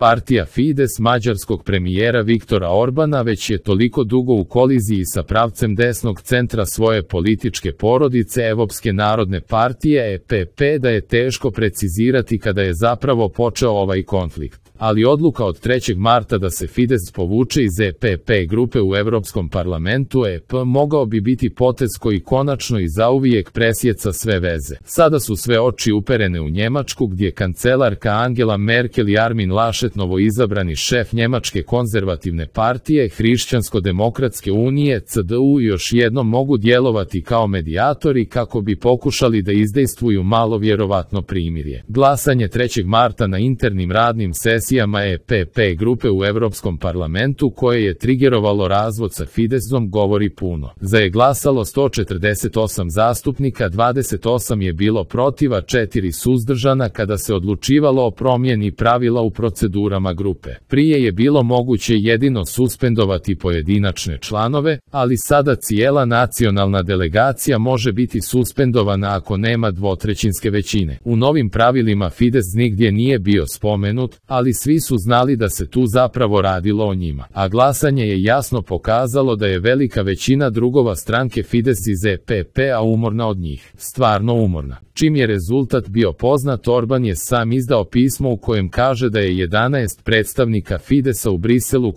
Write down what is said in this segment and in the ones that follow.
Partija Fides mađarskog premijera Viktora Orbana već je toliko dugo u koliziji sa pravcem desnog centra svoje političke porodice Evropske narodne partije EPP da je teško precizirati kada je zapravo počeo ovaj konflikt. Ali odluka od 3. marta da se Fides povuče iz EPP grupe u Evropskom parlamentu EP mogao bi biti potez koji konačno i zauvijek presjeca sve veze. Sada su sve oči uperene u Njemačku gdje kancelarka Angela Merkel i Armin Laschet, novoizabrani šef Njemačke konzervativne partije Hrišćansko-demokratske unije CDU, još jednom mogu djelovati kao medijatori kako bi pokušali da izdejstvuju malo vjerovatno primirje. Glasanje 3. marta na internim radnim sesijama EPP grupe u Evropskom parlamentu koje je trigerovalo razvod sa Fidesom govori puno. Za je glasalo 148 zastupnika, 28 je bilo protiv, a 4 suzdržana kada se odlučivalo o promjeni pravila u procedurama grupe. Prije je bilo moguće jedino suspendovati pojedinačne članove, ali sada cijela nacionalna delegacija može biti suspendovana ako nema dvotrećinske većine. U novim pravilima Fides nigdje nije bio spomenut, ali svi su znali da se tu zapravo radilo o njima. A glasanje je jasno pokazalo da je velika većina drugova stranke Fides iz EPP-a umorna od njih. Stvarno umorna. Čim je rezultat bio poznat, Orban je sam izdao pismo u kojem kaže da je 11 predstavnika Fidesa u Briselu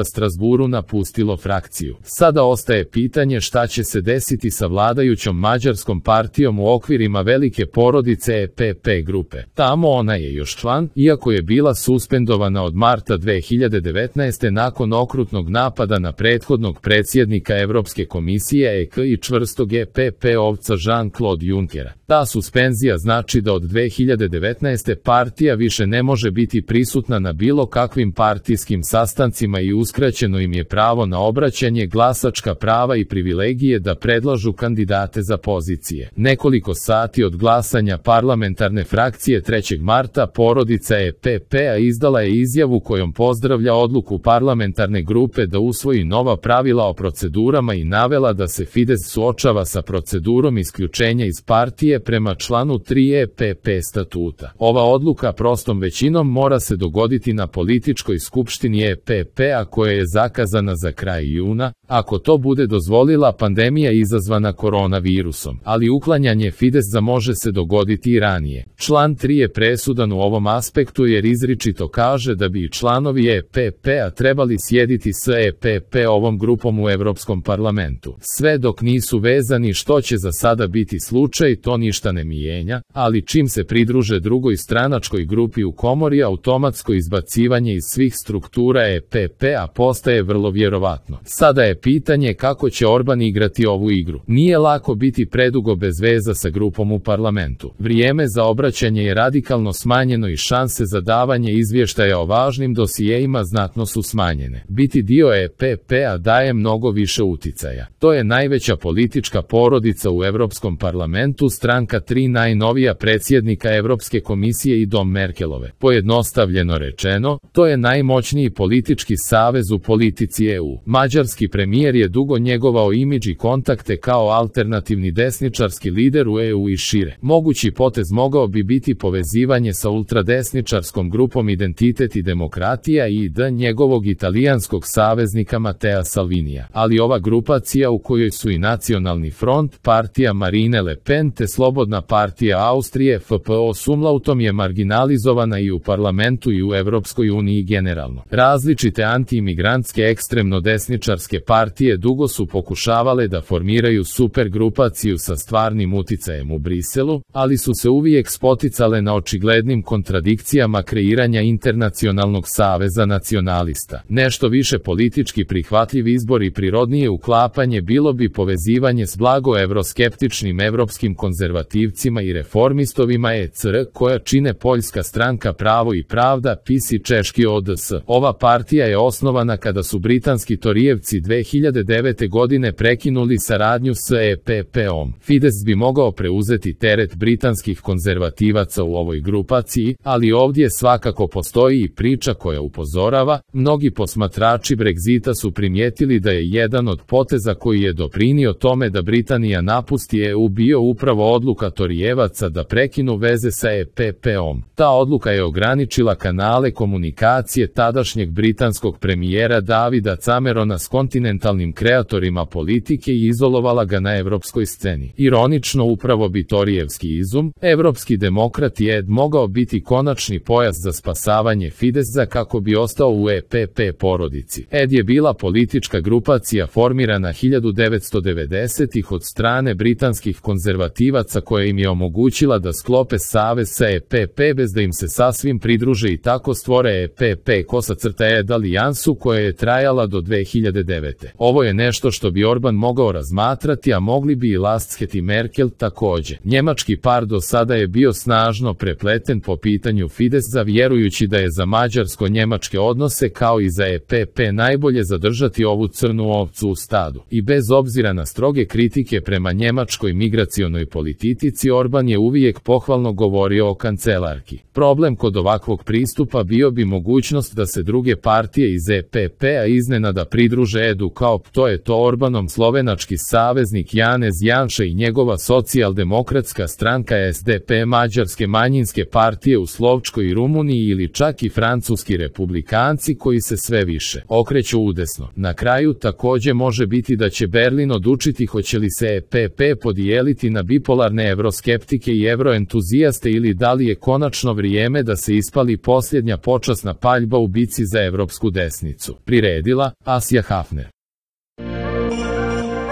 / Strasburu napustilo frakciju. Sada ostaje pitanje šta će se desiti sa vladajućom mađarskom partijom u okvirima velike porodice EPP grupe. Tamo ona je još član, iako je bila suspendovana od marta 2019. nakon okrutnog napada na prethodnog predsjednika Evropske komisije EK i čvrstog EPP-ovca Jean-Claude Junckera. Ta suspenzija znači da od 2019. partija više ne može biti prisutna na bilo kakvim partijskim sastancima i uskraćeno im je pravo na obraćanje, glasačka prava i privilegije da predlažu kandidate za pozicije. Nekoliko sati od glasanja parlamentarne frakcije 3. marta porodica EPP-a izdala je izjavu kojom pozdravlja odluku parlamentarne grupe da usvoji nova pravila o procedurama i navela da se Fides suočava sa procedurom isključenja iz partije prema članu 3 EPP statuta. Ova odluka prostom većinom mora se dogoditi na političkoj skupštini EPP-a koja je zakazana za kraj juna, ako to bude dozvolila pandemija izazvana koronavirusom. Ali uklanjanje Fidesa može se dogoditi i ranije. Član 3 je presudan u ovom aspektu jer izričito kaže da bi članovi EPP-a trebali sjediti s EPP-ovom grupom u Evropskom parlamentu. Sve dok nisu vezani, što će za sada biti slučaj, to ništa ne mijenja, ali čim se pridruže drugoj stranačkoj grupi u komori, automatsko izbacivanje iz svih struktura EPP-a postaje vrlo vjerovatno. Sada je pitanje kako će Orban igrati ovu igru. Nije lako biti predugo bez veza sa grupom u parlamentu. Vrijeme za obraćanje je radikalno smanjeno i šanse za davanje izvještaja o važnim dosijeima znatno su smanjene. Biti dio EPP-a daje mnogo više uticaja. To je najveća politička porodica u Evropskom parlamentu, stranka 3 najnovija predsjednika Evropske komisije i dom Merkelove. Pojednostavljeno rečeno, to je najmoćniji politički savez u politici EU. Mađarski premijer je dugo njegovao imidž i kontakte kao alternativni desničarski lider u EU i šire. Mogući potez mogao bi biti povezivanje sa ultradesničarskom grupom Identitet i demokratija i njegovog italijanskog saveznika Matea Salvinija. Ali ova grupacija, u kojoj su i Nacionalni front, partija Marine Le Pen te Slobodna partija Austrije FPO s umlautom, je marginalizovana i u parlamentu i u Evropskoj uniji generalno. Različite antiimigrantske ekstremno desničarske partije dugo su pokušavale da formiraju supergrupaciju sa stvarnim uticajem u Briselu, ali su se uvijek spoticale na očiglednim kontradikcijama kreiranja internacionalnog saveza nacionalista. Nešto više politički prihvatljiv izbor i prirodnije uklapanje bilo bi povezivanje s blago evroskeptičnim evropskim konzervativcima i reformistovima ECR, koja čine Poljska stranka Pravo i pravda, PiS i češki ODS. Ova partija je osnovana kada su britanski torijevci 2009. godine prekinuli saradnju s EPP-om. Fides bi mogao preuzeti teret britanskih konzervativaca u ovoj grupaciji, ali ovdje svakako postoji i priča koja upozorava, mnogi posmatrači Brexita su primijetili da je jedan od poteza koji je doprinio tome da Britanija napusti EU bio upravo odluka Torijevaca da prekinu veze sa EPP-om. Ta odluka je ograničila kanale komunikacije tadašnjeg britanskog premijera Davida Camerona s kontinentalnim kreatorima politike i izolovala ga na evropskoj sceni. Ironično, upravo bi Torijevski izum, evropski demokrati Ed mogao biti konačni pojas za spasavanje Fidesza kako bi ostao u EPP porodici. Ed je bila politička grupacija formirana 1990-ih od strane britanskih konzervativaca koja im je omogućila da sklope savez sa EPP bez da im se sasvim pridruže i tako stvore EPP-Ed alijansu koja je trajala do 2009. Ovo je nešto što bi Orban mogao razmatrati, a mogli bi i Lasket i Merkel takođe. Njemački par do sada je bio snažno prepleten po pitanju Fidesza, vjerujući da je za mađarsko-njemačke odnose kao i za EPP najbolje zadržati ovu crnu ovcu u stadu. I bez obzira na stroge kritike prema njemačkoj migracionoj politici, Orban je uvijek pohvalno govorio o kancelarki. Problem kod ovakvog pristupa bio bi mogućnost da se druge partije iz EPP-a iznenada pridruže Edu, kao to je to Orbanom slovenački saveznik Janez Janša i njegova socijaldemokratska stranka SDP, mađarske manjinske partije u Slovačkoj i Rumuniji ili čak i francuski republikanci koji se sve više okreću udesno. Na kraju takođe može biti da će Berlin odlučiti hoće li se EPP podijeliti na bipolarne evroskeptike i evroentuzijaste ili da li je konačno vrijeme da se ispali posljednja počasna paljba u bici za evropsku desnicu. Priredila Asja Hafner.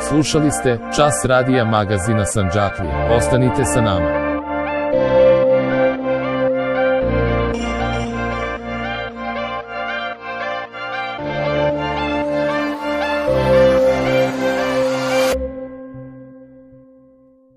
Slušali ste Čas radija magazina Sandžaklija. Ostanite sa nama.